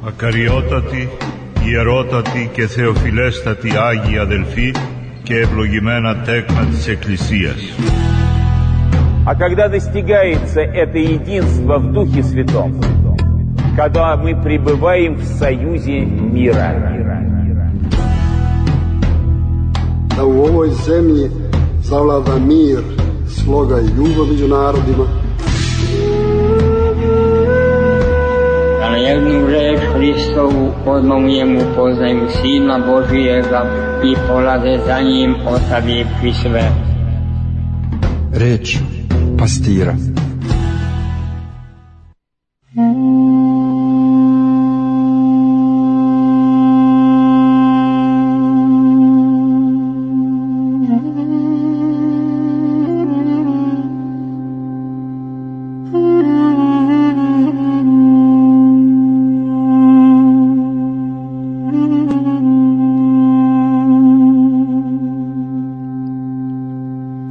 Ακαριότατοι, ιερότατοι και θεοφιλέστατοι Άγιοι αδελφοί και ευλογημένα τέκνα της Εκκλησίας. А когда достигается это единство в Духе Святом, когда мы пребываем в союзе мира. Da u ovoj zemlji zavlada mir, sloga i ljubav među narodima. Da na jednu reč Hristovu odmah u njemu poznaju Sina Božijega i polaze za njim ostavivši sve. Reč pastira.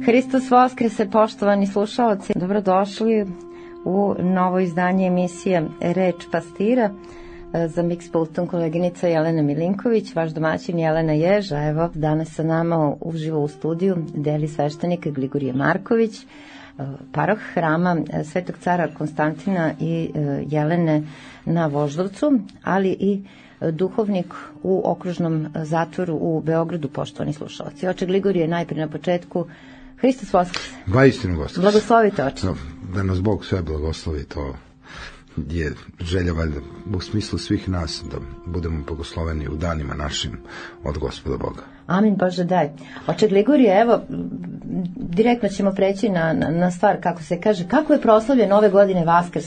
Hristos Voskrese, poštovani slušalci, dobrodošli u novo izdanje emisije Reč pastira. Za Mixpultom koleginica Jelena Milinković, vaš domaćin Jelena Ježa. Evo, danas sa nama uživo u studiju deli sveštenik Gligorije Marković, paroh hrama Svetog cara Konstantina i Jelene na Voždovcu, ali i duhovnik u okružnom zatvoru u Beogradu, poštovani slušalci. Oče Gligorije, najprije na početku, Hristos Voskres. Vaistinu Voskres. Blagoslovite, oče. Da nas Bog sve blagoslovi, to je želja valjda u smislu svih nas, da budemo blagosloveni u danima našim od Gospoda Boga. Amin, Bože daj. Oče Gligorije, evo, direktno ćemo preći na stvar, kako se kaže, kako je proslavljen ove godine Vaskrs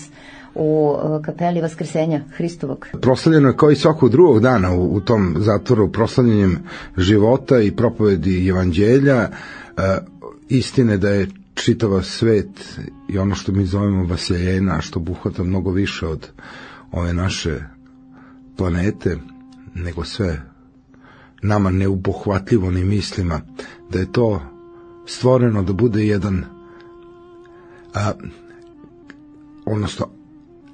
u kapeli Vaskrsenja Hristovog? Proslavljeno je kao i svakog drugog dana u tom zatvoru, proslavljenjem života i propovedi evanđelja, istine da je čitava svet i ono što mi zovemo Vasiljena, što obuhvata mnogo više od ove naše planete, nego sve nama neubohvatljivo ni mislima, da je to stvoreno da bude jedan odnosno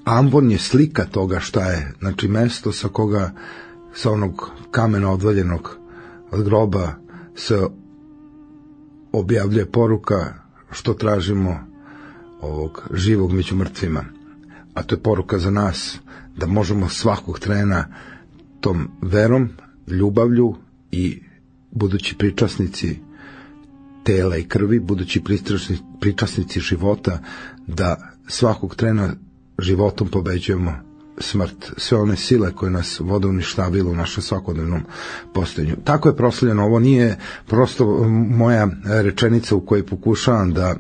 ambon je slika toga šta je, znači mesto sa koga, sa onog kamena odvaljenog od groba se objavljuje poruka što tražimo ovog živog među mrtvima, a to je poruka za nas da možemo svakog trena tom verom, ljubavlju i budući pričasnici tela i krvi, budući pričasnici života, da svakog trena životom pobeđujemo smrt, sve one sile koje nas vode uništavilo u našem svakodnevnom postojanju. Tako je proslavljeno. Ovo nije prosto moja rečenica u kojoj pokušavam da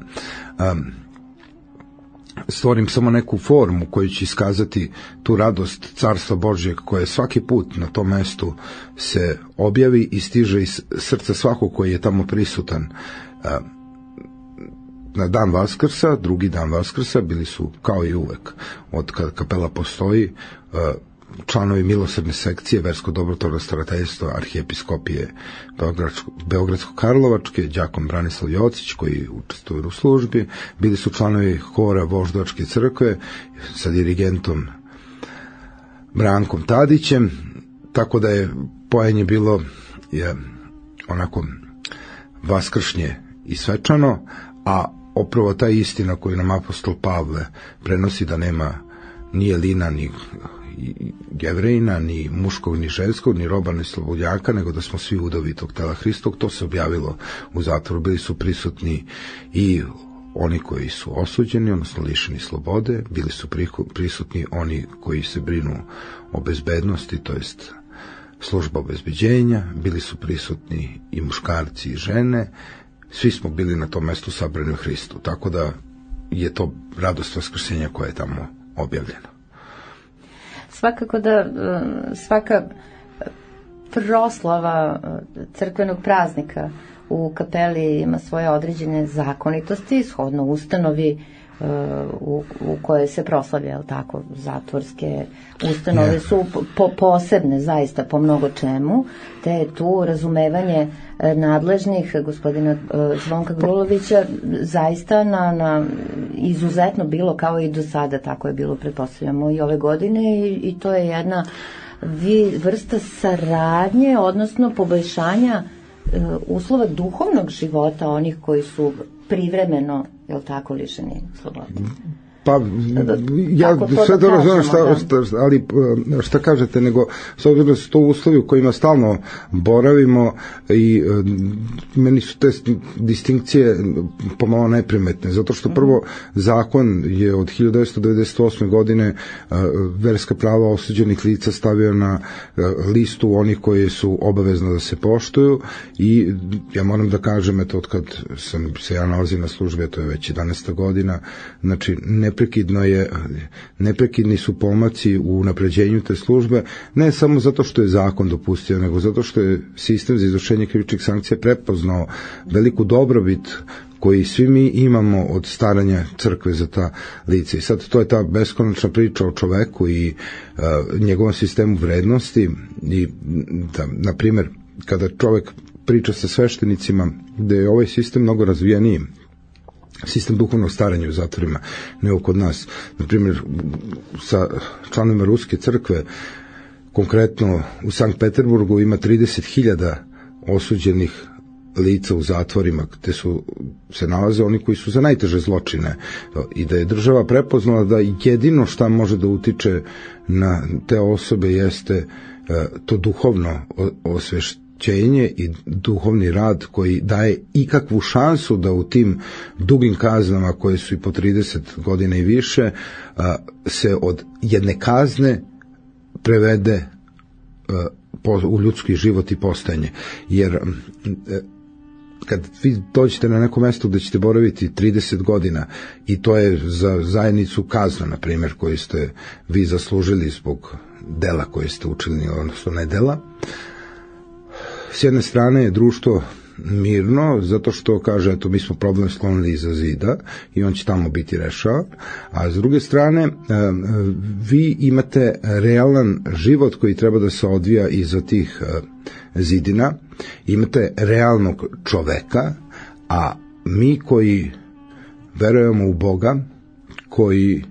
stvorim samo neku formu koju će iskazati tu radost Carstva Božjeg koje svaki put na tom mestu se objavi i stiže iz srca svakog koji je tamo prisutan. Na dan Vaskrsa, drugi dan Vaskrsa, bili su kao i uvek, od kada kapela postoji, članovi milosrdne sekcije Versko dobrotvorno starateljstva arhijepiskopije Beogradsko-Karlovačke, đakon Branislav Jocić koji učestvuje u službi, bili su članovi hora Voždovačke crkve sa dirigentom Brankom Tadićem, tako da je pojenje bilo onako vaskršnje i svečano, a opravo ta istina koju nam apostol Pavle prenosi da nema ni Jelina, ni Jevrejina, ni muškog, ni ženskog, ni roba, ni slobodnjaka, nego da smo svi udovi tog tela Hristovog, to se objavilo u zatvoru. Bili su prisutni i oni koji su osuđeni, odnosno lišeni slobode, bili su prisutni oni koji se brinu o bezbednosti, to jest služba obezbeđenja, bili su prisutni i muškarci i žene, svi smo bili na tom mestu sabrani u Hristu, tako da je to radost Vaskrsenja koja je tamo objavljena. Svakako da svaka proslava crkvenog praznika u kapeli ima svoje određene zakonitosti, shodno ustanovi u koje se proslavlja, jel tako, zatvorske ustanove su posebne zaista po mnogo čemu, te je tu razumevanje nadležnih gospodina Zvonka Grulovića zaista na izuzetno bilo kao i do sada, tako je bilo pretpostavljamo i ove godine i to je jedna vrsta saradnje, odnosno poboljšanja uslova duhovnog života onih koji su privremeno, je li tako, lišeni slobode. Pa, ja sve to razumem ali šta kažete, nego s obzirom da su to uslovi u kojima stalno boravimo i meni su te distinkcije pomalo neprimetne, zato što prvo zakon je od 1998. godine verska prava osuđenih lica stavio na listu onih koji su obavezno da se poštuju i ja moram da kažem, eto, od kad sam se ja nalazim na službi, to je već 11. godina, znači neprekidni su pomaci u unapređenju te službe, ne samo zato što je zakon dopustio, nego zato što je sistem za izvršenje krivičnih sankcija prepoznao veliku dobrobit koji svi mi imamo od staranja crkve za ta lica. I sad to je ta beskonačna priča o čoveku i njegovom sistemu vrednosti i da, na primjer, kada čovek priča sa sveštenicima da je ovaj sistem mnogo razvijeniji, sistem duhovnog staranja u zatvorima, nego kod nas. Na primjer, sa članovima Ruske crkve, konkretno u Sankt Peterburgu ima 30.000 osuđenih lica u zatvorima, gde se nalaze oni koji su za najteže zločine i da je država prepoznala da jedino šta može da utiče na te osobe jeste to duhovno osvešćenje i duhovni rad koji daje ikakvu šansu da u tim dugim kaznama koje su i po 30 godina i više se od jedne kazne prevede u ljudski život i postojanje. Jer kad vi dođete na neko mesto gde ćete boraviti 30 godina i to je za zajednicu kazna, na primjer, koju ste vi zaslužili zbog dela koje ste učili, odnosno ne dela, s jedne strane je društvo mirno, zato što kaže, eto, mi smo problem sklonili iza zida i on će tamo biti rešavan, a s druge strane vi imate realan život koji treba da se odvija iza tih zidina, imate realnog čoveka, a mi koji verujemo u Boga, koji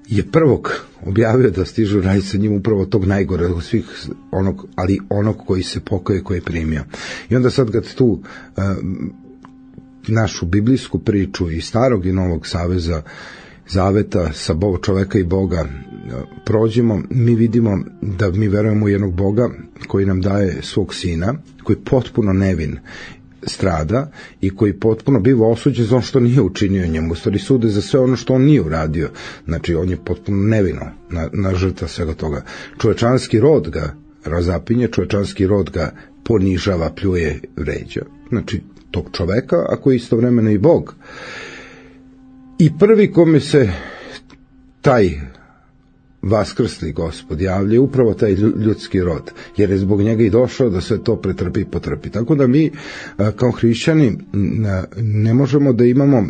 je prvog objavio da stižu raj sa njim, upravo tog najgore od svih, ali onog koji se pokaje, koji je primio. I onda sad kad tu našu biblijsku priču i starog i novog zaveta sa čoveka i Boga prođemo, mi vidimo da mi verujemo u jednog Boga koji nam daje svog sina, koji potpuno nevin strada i koji potpuno biva osuđen za ono što nije učinio njemu, u stvari sude za sve ono što on nije uradio, znači on je potpuno nevino na žrtva svega toga. Čovečanski rod ga razapinje, čovečanski rod ga ponižava, pljuje, vređa, znači tog čoveka, a koji istovremeno i Bog. I prvi kome se taj vaskrsli Gospod javlja, upravo taj ljudski rod, jer je zbog njega i došao da sve to pretrpi i potrpi. Tako da mi kao hrišćani ne možemo da imamo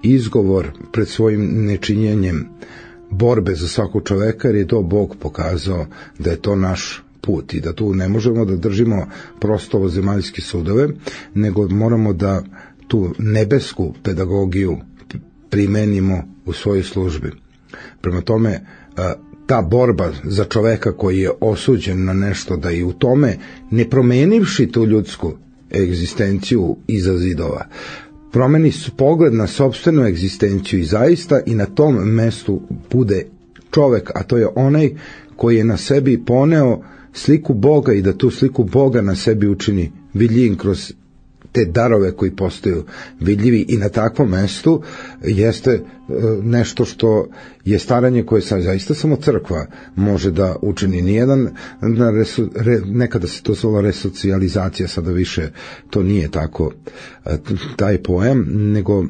izgovor pred svojim nečinjenjem borbe za svakog čoveka, jer je to Bog pokazao da je to naš put i da tu ne možemo da držimo prosto ovozemaljske sudove, nego moramo da tu nebesku pedagogiju primenimo u svojoj službi. Prema tome, ta borba za čoveka koji je osuđen na nešto, da i u tome, ne promenivši tu ljudsku egzistenciju iza zidova, promeni pogled na sopstvenu egzistenciju i zaista i na tom mestu bude čovek, a to je onaj koji je na sebi poneo sliku Boga i da tu sliku Boga na sebi učini vidljivim kroz te darove koji postaju vidljivi i na takvom mestu jeste nešto što je staranje koje zaista samo crkva može da učini. Nijedan, nekada se to zvala resocijalizacija, sada više to nije tako taj pojam, nego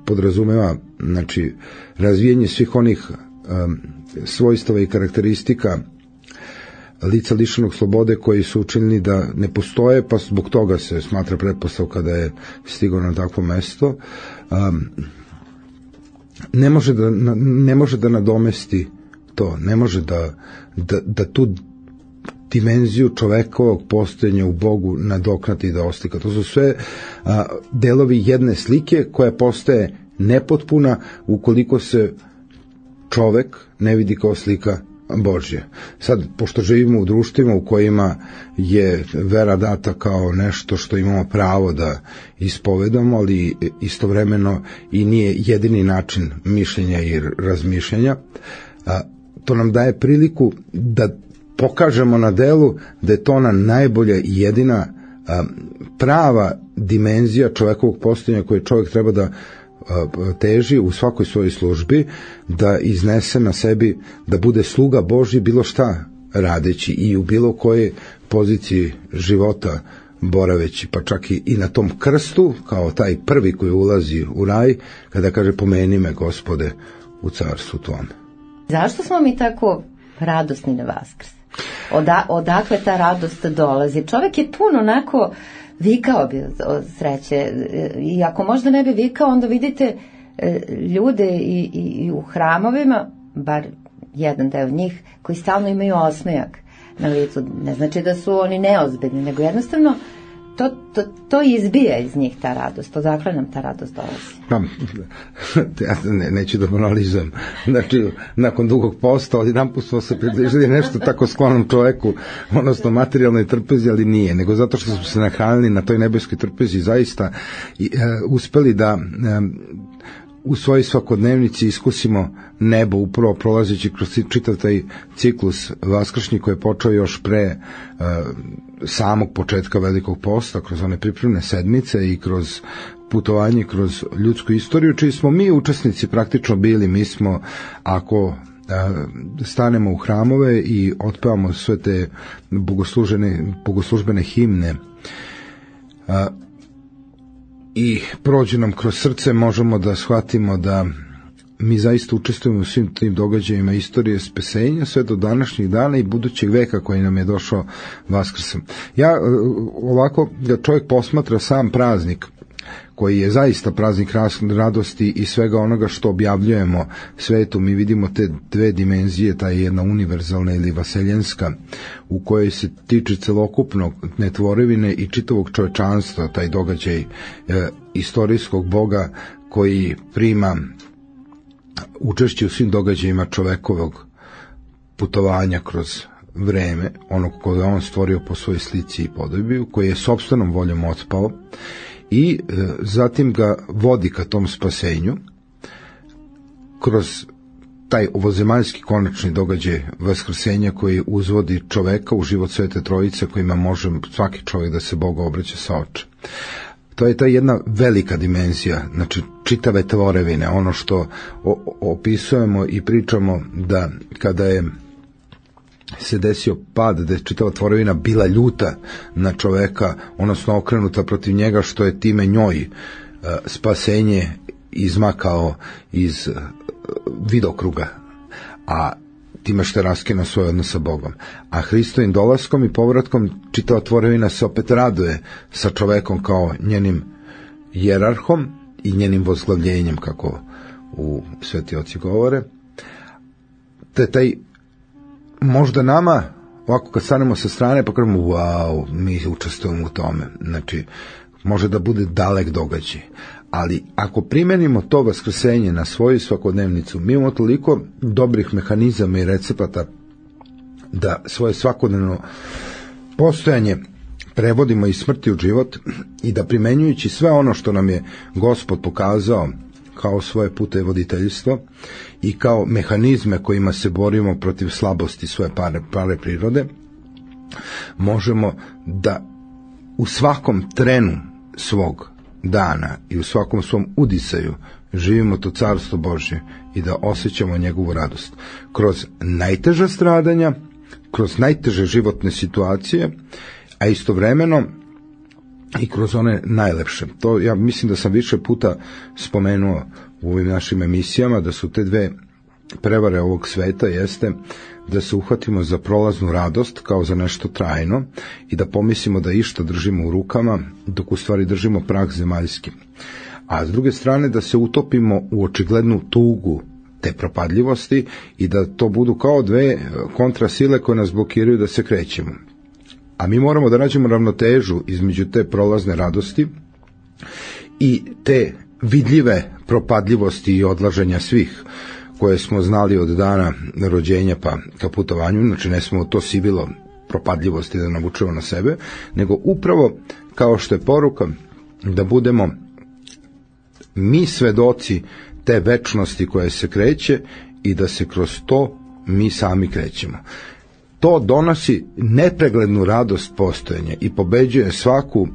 podrazumeva, znači, razvijenje svih onih svojstava i karakteristika lica lišenog slobode koji su učinili da ne postoje, pa zbog toga se smatra pretpostavka da je stigao na takvo mesto. ne može da nadomesti to, ne može da tu dimenziju čovekovog postojanja u Bogu nadoknati i da oslika. To su sve delovi jedne slike koja postaje nepotpuna ukoliko se čovek ne vidi kao slika Božja. Sad, pošto živimo u društvima u kojima je vera data kao nešto što imamo pravo da ispovedamo, ali istovremeno i nije jedini način mišljenja i razmišljanja, to nam daje priliku da pokažemo na delu da je to ona najbolja i jedina prava dimenzija čovekovog postojanja koje čovjek treba da teži u svakoj svojoj službi, da iznese na sebi, da bude sluga Božji bilo šta radeći i u bilo kojoj poziciji života boraveći, pa čak i na tom krstu, kao taj prvi koji ulazi u raj, kada kaže pomeni me Gospode u carstvu tvome. Zašto smo mi tako radosni na Vaskrs? Odakle ta radost dolazi? Čovjek je puno onako vikao bi od sreće, i ako možda ne bi vikao, onda vidite ljude i u hramovima, bar jedan deo njih, koji stalno imaju osmejak na licu. Ne znači da su oni neozbiljni, nego jednostavno to izbija iz njih ta radost. Odakle nam ta radost dolazi? Ja neću da banalizujem. Znači, nakon dugog posta, odjedanput smo se približili nešto tako sklonom čoveku, odnosno materijalnoj trpezi, ali nije, nego zato što smo se nahranili na toj nebeskoj trpezi, zaista uspeli da u svojoj svakodnevnici iskusimo nebo, upravo prolazeći kroz čitav taj ciklus vaskršnji koji je počeo još pre samog početka Velikog posta, kroz one pripremne sedmice i kroz putovanje kroz ljudsku istoriju, čiji smo mi učesnici praktično bili. Mi smo, ako stanemo u hramove i otpevamo sve te bogoslužbene himne i prođe nam kroz srce, možemo da shvatimo da mi zaista učestvujemo u svim tim događajima istorije spasenja sve do današnjih dana i budućeg veka koji nam je došao Vaskrsom. Ja ovako, da čovjek posmatra sam praznik, koji je zaista praznik radosti i svega onoga što objavljujemo svetu, mi vidimo te dve dimenzije, ta jedna univerzalna ili vaseljenska, u kojoj se tiče celokupnog netvorevine i čitavog čovečanstva, taj događaj istorijskog Boga koji prima učešće u svim događajima čovekovog putovanja kroz vreme, onog koje on stvorio po svojoj slici i podobi, koji je sopstvenom voljom otpao i zatim ga vodi ka tom spasenju kroz taj ovozemaljski konačni događaj vaskrsenja koji uzvodi čoveka u život Svete Trojice, kojima može svaki čovjek da se Bogu obraća sa oče. To je ta jedna velika dimenzija, znači čitave tvorevine, ono što opisujemo i pričamo da kada je se desio pad, da je čitava tvorevina bila ljuta na čoveka, odnosno okrenuta protiv njega, što je time njoj spasenje izmakao iz vidokruga, a time što je raskinuo svoj odnos sa Bogom. A Hristovim dolaskom i povratkom čitava tvorevina se opet raduje sa čovekom kao njenim jerarhom i njenim vozglavljenjem, kako u Sveti oci govore. Te taj možda nama, ovako kad stanemo sa strane pa kažemo wow, mi učestvujemo u tome, znači može da bude dalek događaj, ali ako primenimo to vaskrsenje na svoju svakodnevnicu, mi imamo toliko dobrih mehanizama i recepata da svoje svakodnevno postojanje prevodimo iz smrti u život i da primenjujući sve ono što nam je Gospod pokazao kao svoje pute voditeljstvo i kao mehanizme kojima se borimo protiv slabosti svoje pare prirode, možemo da u svakom trenu svog dana i u svakom svom udisaju živimo to carstvo Božje i da osjećamo njegovu radost kroz najteža stradanja, kroz najteže životne situacije, a istovremeno i kroz one najlepše. To ja mislim da sam više puta spomenuo u ovim našim emisijama, da su te dve prevare ovog sveta jeste da se uhvatimo za prolaznu radost kao za nešto trajno i da pomislimo da išta držimo u rukama, dok u stvari držimo prah zemaljski. a s druge strane da se utopimo u očiglednu tugu te propadljivosti i da to budu kao dve kontrasile koje nas blokiraju da se krećemo. A mi moramo da nađemo ravnotežu između te prolazne radosti i te vidljive propadljivosti i odlaženja svih koje smo znali od dana rođenja pa ka putovanju, znači ne smo to sivilo propadljivosti da navučemo na sebe, nego upravo kao što je poruka da budemo mi svedoci te večnosti koje se kreće i da se kroz to mi sami krećemo. To donosi nepreglednu radost postojanja i pobeđuje svaku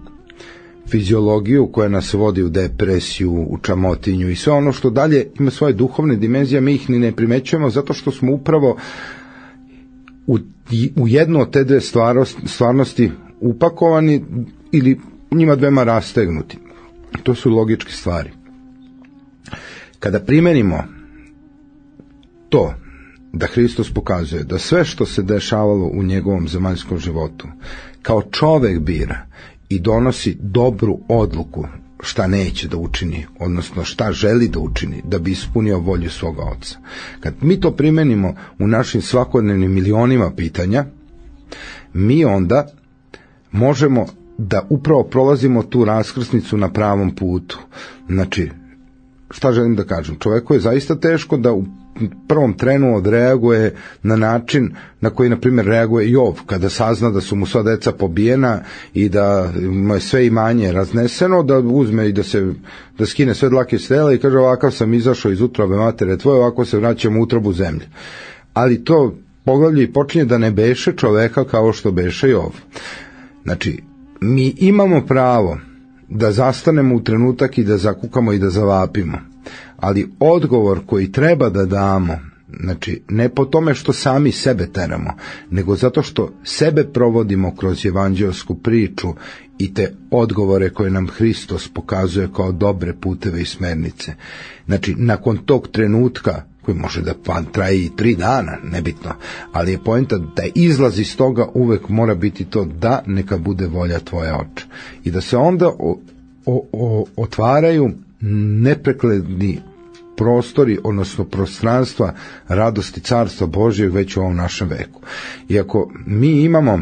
fiziologiju koja nas vodi u depresiju, u čamotinju i sve ono što dalje ima svoje duhovne dimenzije, mi ih ni ne primećujemo zato što smo upravo u jednu od te dve stvarnosti upakovani ili njima dvema rastegnuti. To su logičke stvari. Kada primenimo to da Hristos pokazuje da sve što se dešavalo u njegovom zemaljskom životu kao čovek bira i donosi dobru odluku šta neće da učini, odnosno šta želi da učini da bi ispunio volju svoga Oca. Kad mi to primenimo u našim svakodnevnim milionima pitanja, mi onda možemo da upravo prolazimo tu raskrsnicu na pravom putu. Znači, šta želim da kažem? Čoveku je zaista teško da u prvom trenu odreaguje na način na koji, na primjer, reaguje Jov, kada sazna da su mu sva deca pobijena i da mu je sve imanje razneseno, da uzme i da skine sve dlake s tela i kaže ovakav sam izašao iz utrobe matere tvoje, ovako se vraćam u utrobu zemlje. Ali to poglavlje i počinje da ne beše čoveka kao što beše Jov. Znači, mi imamo pravo da zastanemo u trenutak i da zakukamo i da zavapimo, ali odgovor koji treba da damo, znači ne po tome što sami sebe teramo, nego zato što sebe provodimo kroz evanđelsku priču i te odgovore koje nam Hristos pokazuje kao dobre puteve i smernice. Znači, nakon tog trenutka, koji može da traje i 3 dana, nebitno, ali je poenta da izlaz iz toga uvek mora biti to da neka bude volja tvoja, Oče. I da se onda otvaraju neprekledni prostori, odnosno prostranstva radosti Carstva Božjeg već u ovom našem veku. Iako mi imamo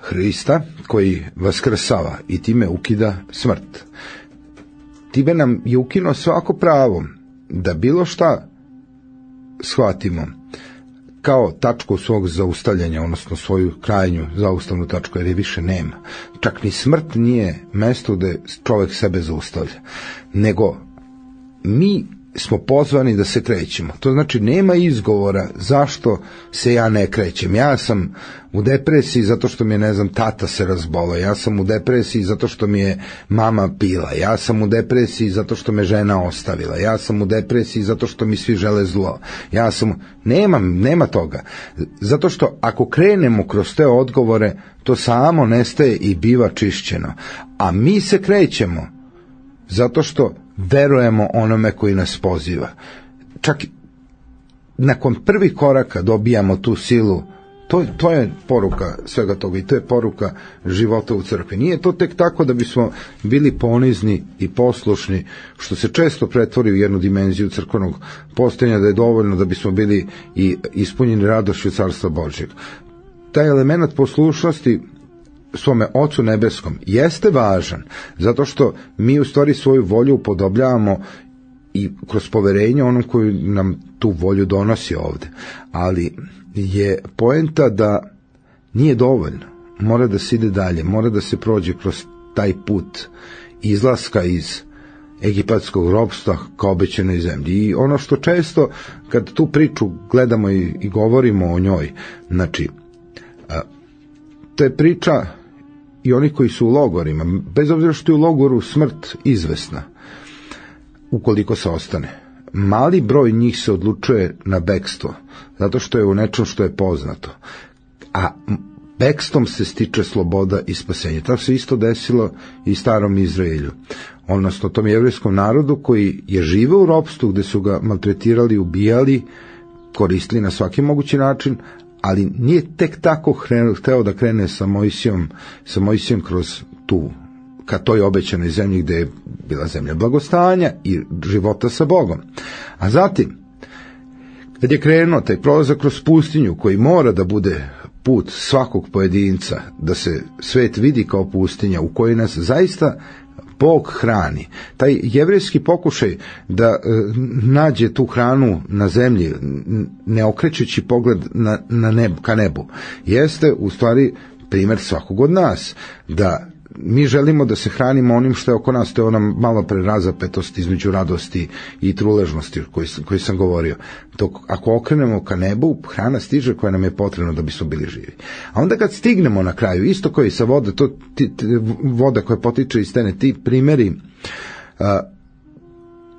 Hrista koji vaskrsava i time ukida smrt, time nam je ukinuo svako pravo da bilo šta shvatimo kao tačku svog zaustavljanja, odnosno svoju krajnju zaustavnu tačku, jer je više nema. Čak ni smrt nije mesto gde čovek sebe zaustavlja, nego mi smo pozvani da se krećemo. To znači nema izgovora zašto se ja ne krećem. Ja sam u depresiji zato što mi je, ne znam, tata se razbolao. Ja sam u depresiji zato što mi je mama pila. Ja sam u depresiji zato što me žena ostavila. Ja sam u depresiji zato što mi svi žele zlo. Nema toga. Zato što ako krenemo kroz te odgovore, to samo nestaje i biva čišćeno. A mi se krećemo zato što verujemo onome koji nas poziva. Čak nakon prvih koraka dobijamo tu silu. To je poruka svega toga i to je poruka života u crkvi. Nije to tek tako da bismo bili ponizni i poslušni, što se često pretvori u jednu dimenziju crkvenog postojanja, da je dovoljno da bismo bili i ispunjeni radošću Carstva Božjeg. Taj element poslušnosti svome Ocu nebeskom jeste važan, zato što mi u stvari svoju volju upodobljavamo i kroz poverenje onom koji nam tu volju donosi ovde. Ali je poenta da nije dovoljno, mora da se ide dalje, mora da se prođe kroz taj put izlaska iz egipatskog ropstva ka obećanoj zemlji. I ono što često kad tu priču gledamo i govorimo o njoj, znači to je priča i oni koji su u logorima, bez obzira što je u logoru smrt izvesna, ukoliko se ostane. Mali broj njih se odlučuje na bekstvo, zato što je u nečem što je poznato. A bekstvom se stiče sloboda i spasenje. Tako se isto desilo i starom Izraelju, odnosno tom jevrijskom narodu koji je živeo u ropstvu, gde su ga maltretirali, ubijali, koristili na svaki mogući način, ali nije tek tako hteo da krene sa Mojsijom kroz ka toj obećanoj zemlji gde je bila zemlja blagostanja i života sa Bogom. A zatim, kad je krenuo taj prolazak kroz pustinju koji mora da bude put svakog pojedinca, da se svet vidi kao pustinja u kojoj nas zaista Bog hrani. Taj jevrejski pokušaj da nađe tu hranu na zemlji, ne okrećući pogled ka nebu, jeste u stvari primjer svakog od nas, da mi želimo da se hranimo onim što je oko nas, to je ona malo prerazapetost između radosti i truležnosti koji sam govorio. Ako okrenemo ka nebu, hrana stiže koja nam je potrebna da bismo bili živi. A onda kad stignemo na kraju, isto kao i sa vode, voda koja potiče iz stene, ti primjeri,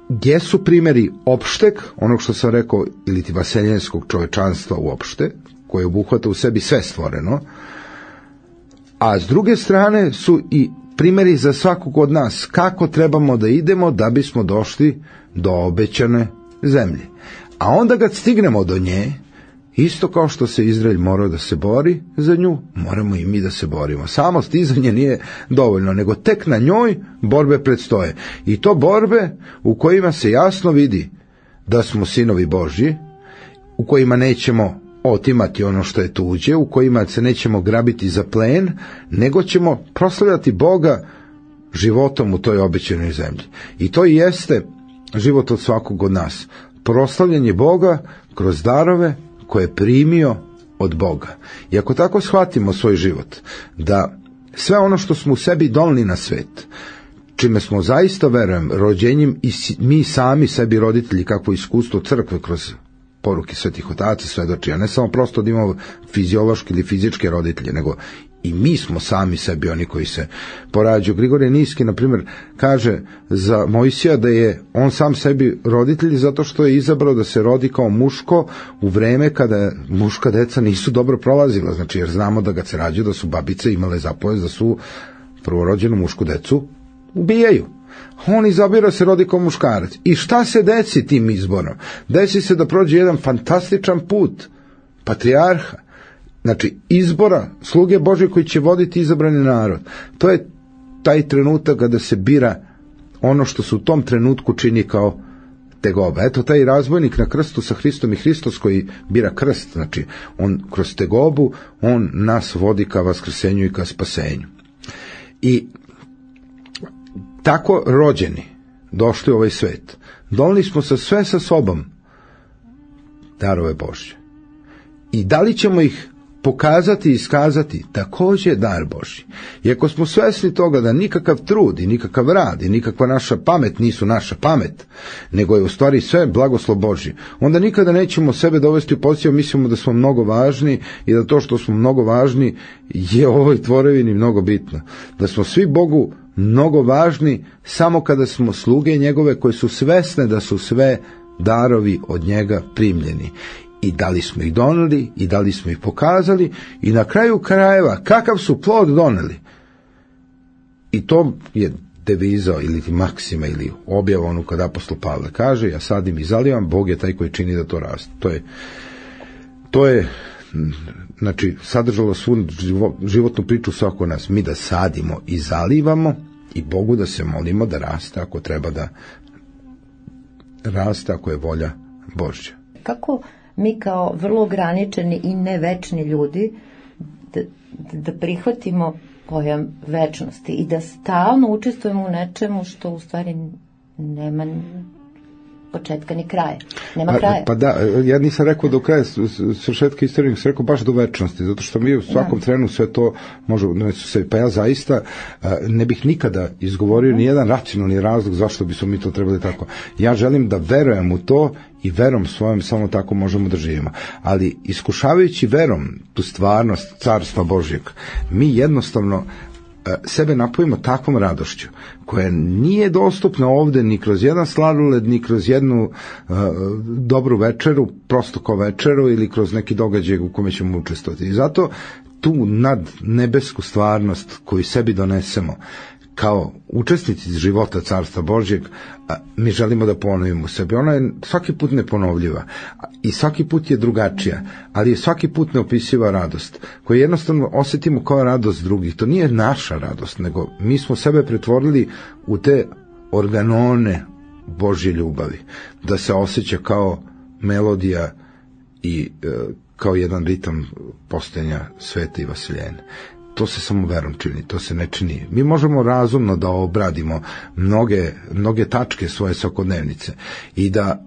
gdje su primjeri opšteg, onog što sam rekao, ili ti vaseljenskog čovečanstva uopšte, koje obuhvata u sebi sve stvoreno, a s druge strane su i primjeri za svakog od nas kako trebamo da idemo da bismo došli do obećane zemlje. A onda kad stignemo do nje, isto kao što se Izrael morao da se bori za nju, moramo i mi da se borimo. Samo stizanje nije dovoljno, nego tek na njoj borbe predstoje. I to borbe u kojima se jasno vidi da smo sinovi Božji, u kojima nećemo otimati ono što je tuđe, u kojima se nećemo grabiti za plen, nego ćemo proslavljati Boga životom u toj obećanoj zemlji. I to i jeste život od svakog od nas. Proslavljanje Boga kroz darove koje je primio od Boga. I ako tako shvatimo svoj život, da sve ono što smo u sebi doneli na svet, čime smo zaista, verujem, rođenjem i mi sami sebi roditelji, kakvo iskustvo crkve kroz poruke svetih otaca svedoči, a ne samo prosto da imamo fiziološke ili fizičke roditelje, nego i mi smo sami sebi oni koji se porađaju. Grigorije Niski, na primjer, kaže za Mojsija da je on sam sebi roditelj zato što je izabrao da se rodi kao muško u vreme kada muška deca nisu dobro prolazila, znači jer znamo da kad se rađaju da su babice imale zapovest da su prvorođenu mušku decu ubijaju. On izabira se rodi kao muškarac. I šta se desi tim izborom? Desi se da prođe jedan fantastičan put patrijarha, znači izbora sluge Božje koji će voditi izabrani narod. To je taj trenutak kada se bira ono što se u tom trenutku čini kao tegoba. Eto, taj razbojnik na krstu sa Hristom i Hristos koji bira krst, znači on kroz tegobu, on nas vodi ka vaskrsenju i ka spasenju. I tako rođeni, došli u ovaj svet, doneli smo sve sa sobom darove Božje. I da li ćemo ih pokazati i iskazati, također dar Božji. I ako smo svesni toga da nikakav trud i nikakav rad i nikakva naša pamet nisu naša pamet, nego je u stvari sve blagoslov Božji, onda nikada nećemo sebe dovesti u poziciju, mislimo da smo mnogo važni i da to što smo mnogo važni je u ovoj tvorevini mnogo bitno. Da smo svi Bogu mnogo važni samo kada smo sluge njegove koje su svesne da su sve darovi od njega primljeni. I da li smo ih doneli, i da li smo ih pokazali, i na kraju krajeva kakav su plod doneli. I to je deviza ili maksima ili objava onu kad apostol Pavle kaže, ja sadim i zalivam, Bog je taj koji čini da to raste. To je znači sadržalo svu životnu priču svako nas. Mi da sadimo i zalivamo i Bogu da se molimo da raste ako treba da raste, ako je volja Božja. Kako mi kao vrlo ograničeni i nevečni ljudi da prihvatimo pojam večnosti i da stalno učestvujemo u nečemu što u stvari nema početka ni kraja. Nema kraja. Pa da, ja nisam rekao do kraja svršetka istorije, nisam rekao baš do večnosti, zato što mi u svakom trenu sve to može, pa ja zaista ne bih nikada izgovorio nijedan racionalni razlog zašto bismo mi to trebali tako. Ja želim da verujem u to i verom svojom samo tako možemo da živimo. Ali iskušavajući verom tu stvarnost Carstva Božjeg, mi jednostavno sebe napojimo takvom radošću koja nije dostupna ovde ni kroz jedan sladoled, ni kroz jednu dobru večeru, prosto kao večeru ili kroz neki događaj u kome ćemo učestvovati. I zato tu nad nebesku stvarnost koju sebi donesemo, kao učesnici života Carstva Božjeg, mi želimo da ponovimo sebe. Ona je svaki put neponovljiva i svaki put je drugačija, ali je svaki put neopisiva radost, koju jednostavno osetimo kao radost drugih. To nije naša radost, nego mi smo sebe pretvorili u te organone Božje ljubavi, da se osjeća kao melodija i kao jedan ritam postojanja sveta i vaseljene. To se samo verom čini, to se ne čini. Mi možemo razumno da obradimo mnoge tačke svoje svakodnevnice i da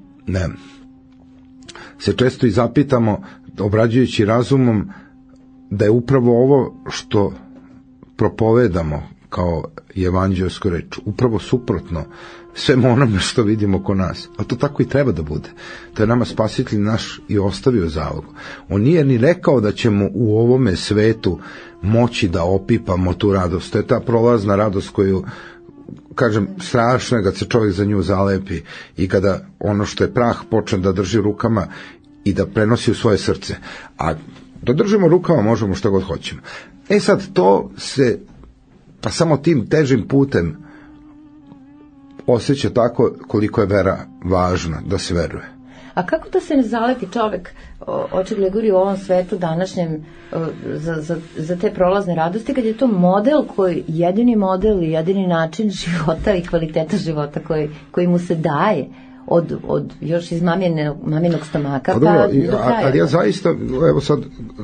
se često i zapitamo, obrađujući razumom, da je upravo ovo što propovedamo kao evanđeljsku reč upravo suprotno svemu onome što vidimo oko nas. A to tako i treba da bude. To je nama Spasitelj naš i ostavio zalog. On nije ni rekao da ćemo u ovome svetu moći da opipamo tu radost. To je ta prolazna radost koju, kažem, strašno je kad se čovjek za nju zalepi i kada ono što je prah počne da drži rukama i da prenosi u svoje srce. A da držimo rukama možemo što god hoćemo. Sad to se pa samo tim težim putem osjeća tako koliko je vera važna da se veruje. A kako da se ne zaleti čovek, očigledno govori u ovom svetu današnjem, za te prolazne radosti, kad je to model koji, jedini model i jedini način života i kvaliteta života koji mu se daje od još iz maminog stomaka pa do kraja. Ali ja zaista, evo sad,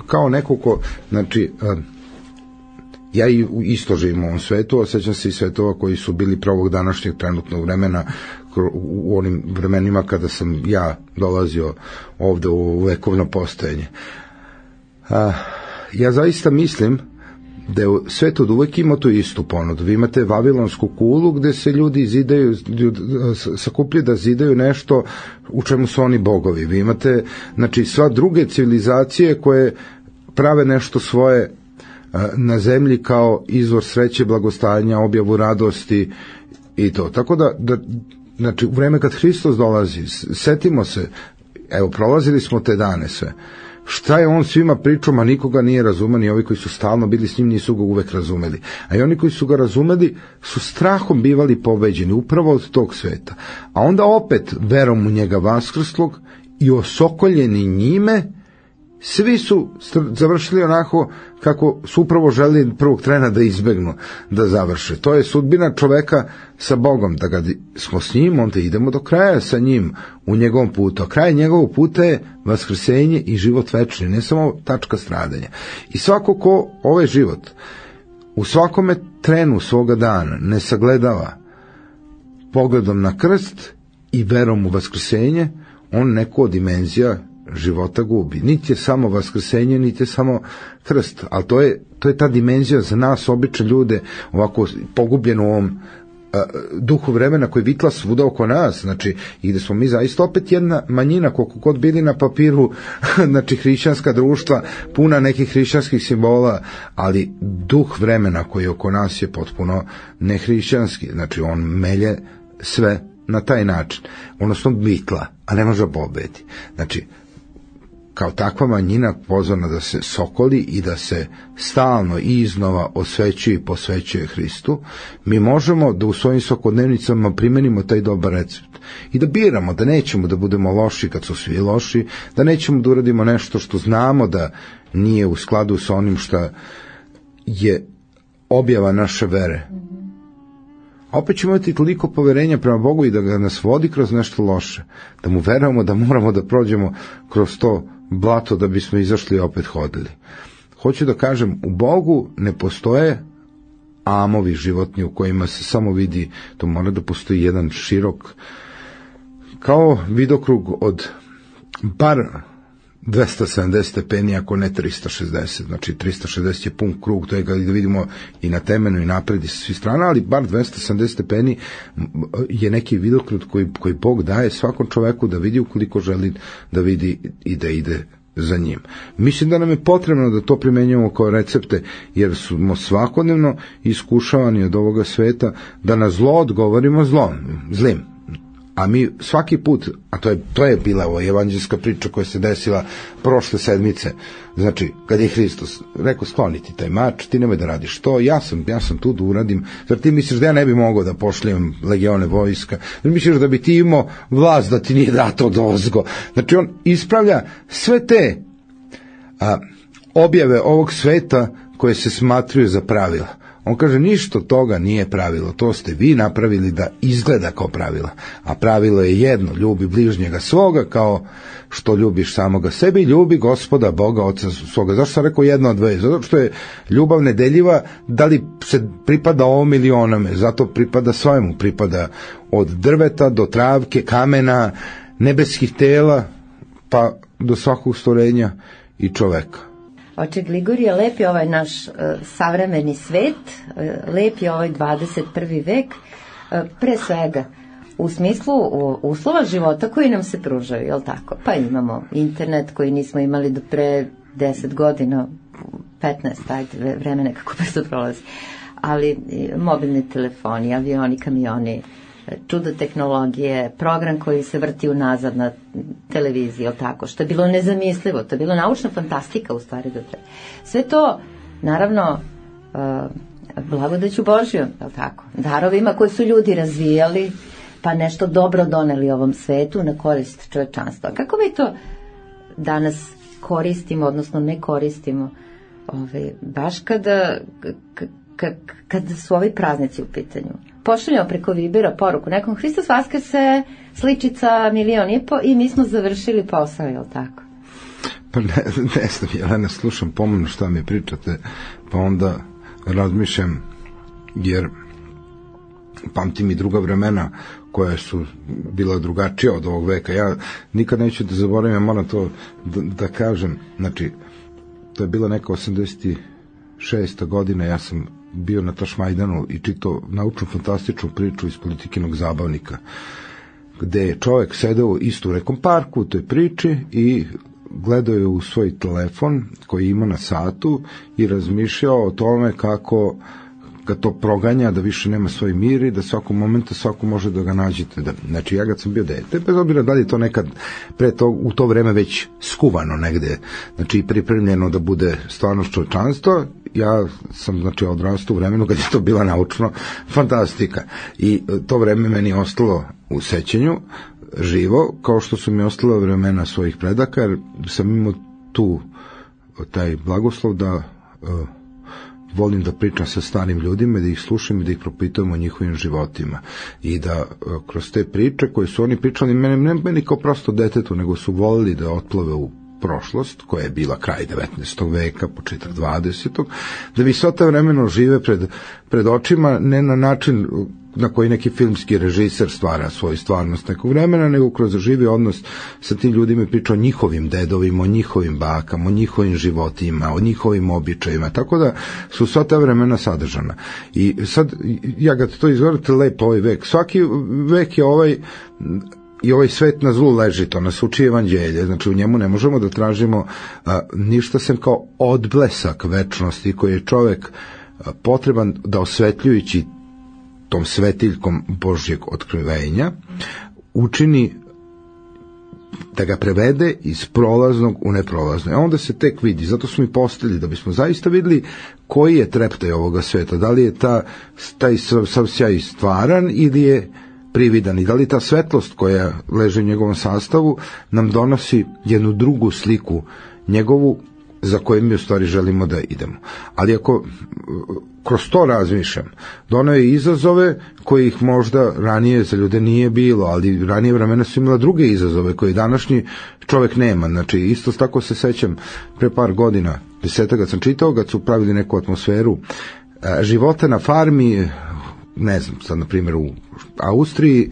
kao neko ko, znači, ja isto živim u ovom svetu, osjećam se i svetova koji su bili prvog današnjeg trenutnog vremena, u onim vremenima kada sam ja dolazio ovde u vekovno postojanje. Ja zaista mislim da je svet od uvek ima tu istu ponudu. Vi imate Vavilonsku kulu gde se ljudi sakupljaju da zidaju nešto u čemu su oni bogovi. Vi imate, znači, sva druge civilizacije koje prave nešto svoje na zemlji kao izvor sreće, blagostanja, objavu radosti i to. Tako da znači, u vreme kad Hristos dolazi, setimo se, evo, prolazili smo te dane sve. Šta je on svima pričao, ma nikoga nije razumeo, ni ovi koji su stalno bili s njim nisu ga uvek razumeli. A i oni koji su ga razumeli su strahom bivali pobeđeni upravo od tog sveta. A onda opet verom u njega vaskrslog i osokoljeni njime, svi su završili onako kako su upravo želeli prvog trena da izbegnu, da završe. To je sudbina čoveka sa Bogom, da kad smo s njim, onda idemo do kraja sa njim u njegovom putu. A kraj njegovog puta je vaskrsenje i život večni, ne samo tačka stradanja. I svako ko ovaj život u svakome trenu svoga dana ne sagledava pogledom na krst i verom u vaskrsenje, on neku od dimenzija života gubi. Niti je samo vaskrsenje, niti je samo krst, ali to je ta dimenzija za nas, obične ljude, ovako pogubljeno u ovom duhu vremena koji vitla svuda oko nas, znači, i gde smo mi zaista opet jedna manjina, koliko god bili na papiru, znači, hrišćanska društva, puna nekih hrišćanskih simbola, ali duh vremena koji oko nas je potpuno nehrišćanski, znači, on melje sve na taj način, odnosno vitla, a ne može pobedi. Znači, kao takva manjina pozvana da se sokoli i da se stalno i iznova osvećuje i posvećuje Hristu, mi možemo da u svojim svakodnevnicama primenimo taj dobar recept i da biramo, da nećemo da budemo loši kad su svi loši, da nećemo da uradimo nešto što znamo da nije u skladu sa onim što je objava naše vere. A opet ćemo imati toliko poverenja prema Bogu i da ga nas vodi kroz nešto loše, da mu verujemo da moramo da prođemo kroz to blato da bismo izašli i opet hodili. Hoću da kažem, u Bogu ne postoje amovi životni u kojima se samo vidi, to mora da postoji jedan širok, kao vidokrug od bar 270 stepeni, ako ne 360, znači 360 je pun krug, to je da vidimo i na temenu i napred i sa svih strana, ali bar 270 stepeni je neki vidokrug koji Bog daje svakom čoveku da vidi ukoliko želi da vidi i da ide za njim. Mislim da nam je potrebno da to primenjujemo kao recepte, jer smo svakodnevno iskušavani od ovoga sveta da na zlo odgovorimo zlim. A mi svaki put, a to je bila ova evanđelska priča koja se desila prošle sedmice, znači kad je Hristos rekao skloniti taj mač, ti nemoj da radiš to, ja sam tu da uradim, zar ti misliš da ja ne bi mogao da pošlijem legione vojska, zar misliš da bi ti imao vlast da ti nije dato dozgo. Znači on ispravlja sve te objave ovog sveta koje se smatruju za pravila. On kaže, ništa toga nije pravilo, to ste vi napravili da izgleda kao pravila. A pravilo je jedno, ljubi bližnjega svoga kao što ljubiš samoga sebe i ljubi Gospoda Boga Oca svoga. Zašto sam rekao jedno od dve? Zato što je ljubav nedeljiva, da li se pripada ovom ili onome, zato pripada svojemu, pripada od drveta do travke, kamena, nebeskih tela, pa do svakog stvorenja i čoveka. Oče Gligorije, lep je ovaj naš savremeni svet, lep je ovaj 21. vek, pre svega u smislu uslova života koji nam se pružaju, je li tako? Pa imamo internet koji nismo imali do pre 10 godina, 15, ajde, vreme nekako brzo prolazi, ali mobilni telefoni, avioni, kamioni, čudo tehnologije, program koji se vrti unazad na televiziji, tako, što je bilo nezamislivo, to je bilo naučna fantastika u stvari. Sve to, naravno, blagodaću Božjom, tako, darovima koje su ljudi razvijali, pa nešto dobro doneli ovom svetu na korist čovečanstva. Kako mi to danas koristimo, odnosno ne koristimo, baš kada su ovi praznici u pitanju? Pošaljamo preko Vibera poruku nekom, Hristos vaskrse, sličica 1,5 miliona i mi smo završili posao, je li tako? Pa ne znam, Jelena, slušam pomno šta mi pričate, pa onda razmišljam, jer pamtim i druga vremena koja su bila drugačija od ovog veka. Ja nikad neću da zaboravim, ja moram to da kažem, znači, to je bila neka 86. godina, ja sam bio na Tašmajdanu i čitao naučnu fantastičnu priču iz Politikinog zabavnika, gde je čovjek sedeo isto u nekom parku u toj priči i gledao je u svoj telefon koji ima na satu i razmišljao o tome kako ga to proganja, da više nema svoj mir i da svakog momenta svako može da ga nađete. Znači, ja kad sam bio dete, bez obzira da li je to nekad u to vreme već skuvano negde, znači pripremljeno da bude stvarno čovečanstvo, ja sam, znači, odrastao u vremenu kad je to bila naučno fantastika. I to vreme meni je ostalo u sećanju živo, kao što su mi ostala vremena svojih predaka, jer sam imao taj blagoslov da volim da pričam sa starim ljudima, da ih slušam i da ih propitujem o njihovim životima. I da kroz te priče koje su oni pričali, meni kao prosto detetu, nego su volili da otplove u prošlost, koja je bila kraj 19. veka, početak 20. da bi sva ta vremena žive pred očima, ne na način na koji neki filmski režiser stvara svoju stvarnost nekog vremena, nego kroz živi odnos sa tim ljudima i priča o njihovim dedovima, o njihovim bakama, o njihovim životima, o njihovim običajima, tako da su sva ta vremena sadržana. I sad, ja kad to izgovorite, lepo ovaj vek, svaki vek je i ovaj svet na zlu leži, to nas uči evanđelje, znači u njemu ne možemo da tražimo ništa sem kao odblesak večnosti koji je čovek potreban da osvetljujući tom svetiljkom Božjeg otkrivenja učini da ga prevede iz prolaznog u neprolazno. A onda se tek vidi, zato smo i postali, da bismo zaista videli koji je treptaj ovoga sveta, da li je taj sav sjaj stvaran ili je prividan i da li ta svetlost koja leži u njegovom sastavu nam donosi jednu drugu sliku njegovu za koju mi u stvari želimo da idemo. Ali ako kroz to razmišljam, doneo je izazove kojih možda ranije za ljude nije bilo, ali ranije vremena su imala druge izazove koje današnji čovek nema. Znači, isto tako se sećam, pre par godina, 10 kad sam čitao, kad su pravili neku atmosferu života na farmi, ne znam, sad na primjer u Austriji,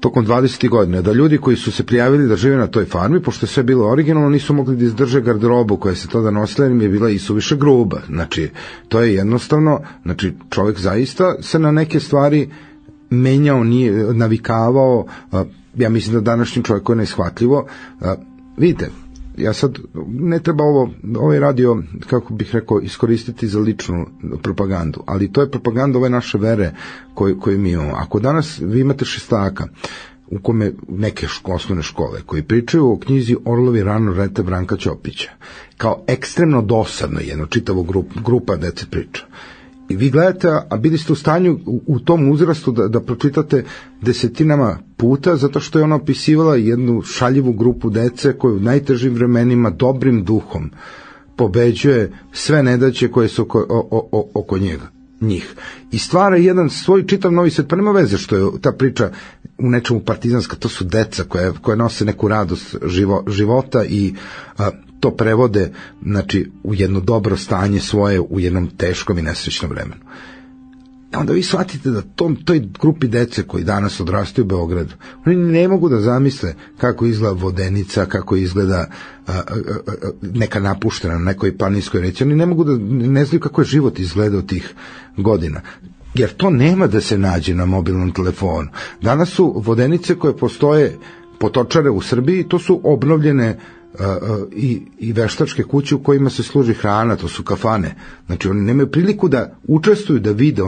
tokom 20. godina, da ljudi koji su se prijavili da žive na toj farmi, pošto je sve bilo originalno, nisu mogli da izdrže garderobu koja se tada nosila, jer im je bila isuviše gruba. Znači, to je jednostavno, znači, čovjek zaista se na neke stvari menjao, nije navikavao, ja mislim da današnjim čovjeku je neishvatljivo. Vidite, ja sad ne treba ovaj radio, kako bih rekao, iskoristiti za ličnu propagandu, ali to je propaganda ove naše vere koju mi imamo. Ako danas vi imate šestaka u kome neke osnovne škole koji pričaju o knjizi Orlovi rano lete Branka Ćopića, kao ekstremno dosadno jedno čitavo grupa dece priča. I vi gledate, a bili ste u stanju u tom uzrastu da pročitate desetinama puta, zato što je ona opisivala jednu šaljivu grupu dece koju u najtežim vremenima dobrim duhom pobeđuje sve nedaće koje su oko njih. I stvara jedan svoj čitav novi svet, pa nema veze što je ta priča u nečemu partizanska, to su deca koje nose neku radost života i to prevode, znači, u jedno dobro stanje svoje u jednom teškom i nesrećnom vremenu. Onda vi shvatite da toj grupi dece koji danas odrastaju u Beogradu, oni ne mogu da zamisle kako izgleda Vodenica, kako izgleda neka napuštena na nekoj planinskoj reci. Oni ne znaju kako je život izgledao tih godina, jer to nema da se nađe na mobilnom telefonu. Danas su Vodenice koje postoje potočare u Srbiji, to su obnovljene i veštačke kuće u kojima se služi hrana, to su kafane. Znači oni nemaju priliku da učestvuju, da vide,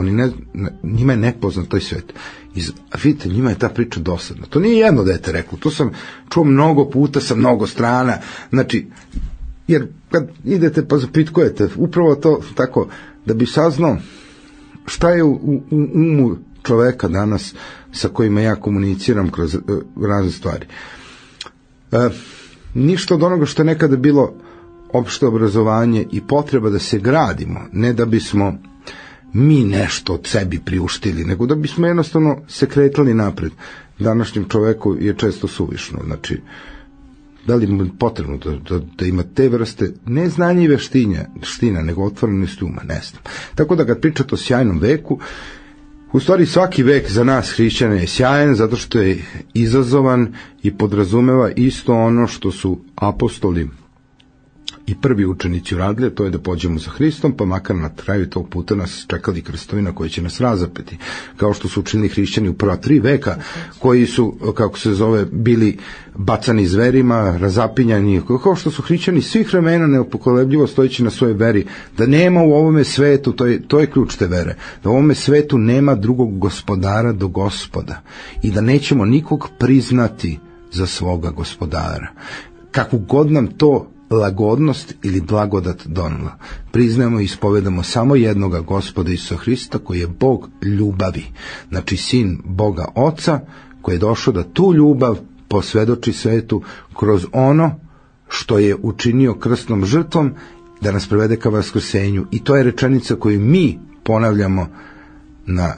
njima je nepoznat taj svet. Vidite, njima je ta priča dosadna. To nije jedno dete reklo, to sam čuo mnogo puta sa mnogo strana. Znači, jer kad idete pa zapitkujete, upravo to tako, da bi saznao šta je u umu čoveka danas sa kojima ja komuniciram kroz razne stvari. Ništa od onoga što je nekada bilo opšte obrazovanje i potreba da se gradimo, ne da bismo mi nešto od sebi priuštili, nego da bismo jednostavno se kretali napred. Današnjem čoveku je često suvišno. Znači, da li mu je potrebno da ima te vrste, ne znanja i veština, nego otvorenost uma, ne znam. Tako da kad pričate o sjajnom veku, u stvari svaki vek za nas hrišćana je sjajan zato što je izazovan i podrazumeva isto ono što su apostoli i prvi učenici uradili, to je da pođemo za Hristom, pa makar na kraju tog puta nas čekali krstovina koji će nas razapeti, kao što su učinili hrišćani u prva 3 veka, koji su, kako se zove, bili bacani zverima, razapinjani, kao što su hrišćani svih vremena nepokolebljivo stojeći na svojoj veri, da nema u ovome svetu, to je ključ te vere, da u ovome svetu nema drugog gospodara do Gospoda i da nećemo nikog priznati za svoga gospodara. Kakvu god nam to lagodnost ili blagodat donela. Priznajemo i ispovedamo samo jednoga Gospoda Isusa Hrista koji je Bog ljubavi. Znači sin Boga Oca koji je došao da tu ljubav posvedoči svetu kroz ono što je učinio krstnom žrtvom da nas prevede ka vaskrsenju. I to je rečenica koju mi ponavljamo na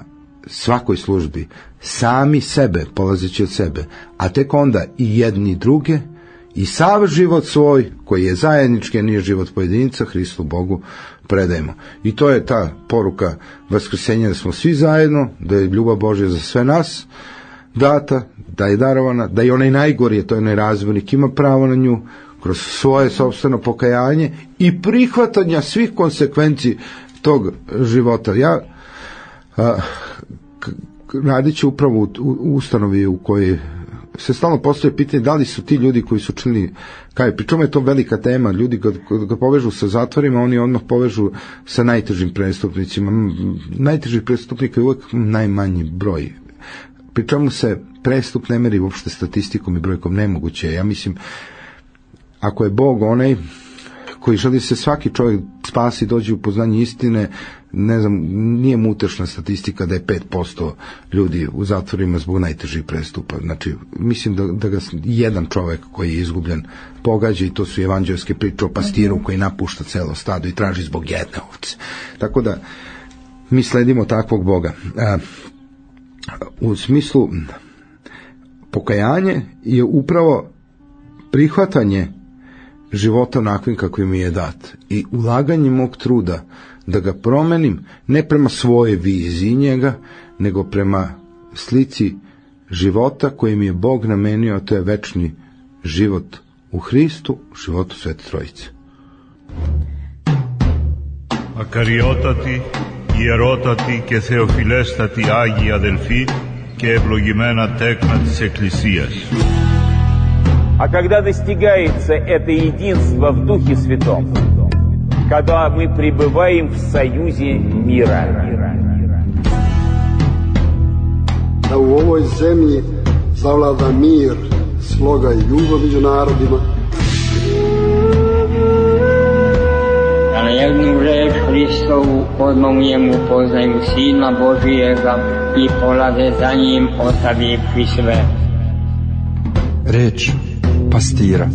svakoj službi. Sami sebe, polazeći od sebe, a tek onda i jedni druge i sav život svoj, koji je zajednički, a nije život pojedinca, Hristu Bogu predajemo. I to je ta poruka vaskrsenja, da smo svi zajedno, da je ljubav Božja za sve nas data, da je darovana, da je onaj najgori, to je onaj razbojnik, ima pravo na nju kroz svoje sopstveno pokajanje i prihvatanja svih konsekvenci tog života. Ja radit ću upravo u ustanovi u kojoj se stalno postoje pitanje da li su ti ljudi koji su činili, pričemu je to velika tema, ljudi kad ga povežu sa zatvorima, oni odmah povežu sa najtežim prestupnicima. Najtežih prestupnika je uvek najmanji broj. Pričemu se prestup ne meri uopšte statistikom i brojkom, nemoguće. Ja mislim, ako je Bog onaj koji želi se svaki čovjek spasi, dođe u poznanje istine, ne znam, nije mu utešna statistika da je 5% ljudi u zatvorima zbog najtežih prestupa. Znači, mislim da ga jedan čovjek koji je izgubljen pogađa, i to su evanđelske priče o pastiru koji napušta celo stado i traži zbog jedne ovce. Tako da mi sledimo takvog Boga. U smislu pokajanje je upravo prihvatanje života onakvim kakvim mi je dat i ulaganje mog truda da ga promenim ne prema svoje viziji njega, nego prema slici života koji mi je Bog namenio, a to je večni život u Hristu, životu Svete Trojice. Ακαριότατη, ιερότατη και θεοφιλέστατη Άγια αδελφοί και ευλογημένα τέκνα της Εκκλησίας. А когда достигается это единство в Духе Святом, когда мы пребываем в союзе мира. Da u ovoj zemlji zavlada mir, sloga i ljubav među narodima. Da na jednu reč Hristovu odmah u njemu poznaju Sina Božijega i polaze za njim ostavivši sve. Reč pastira.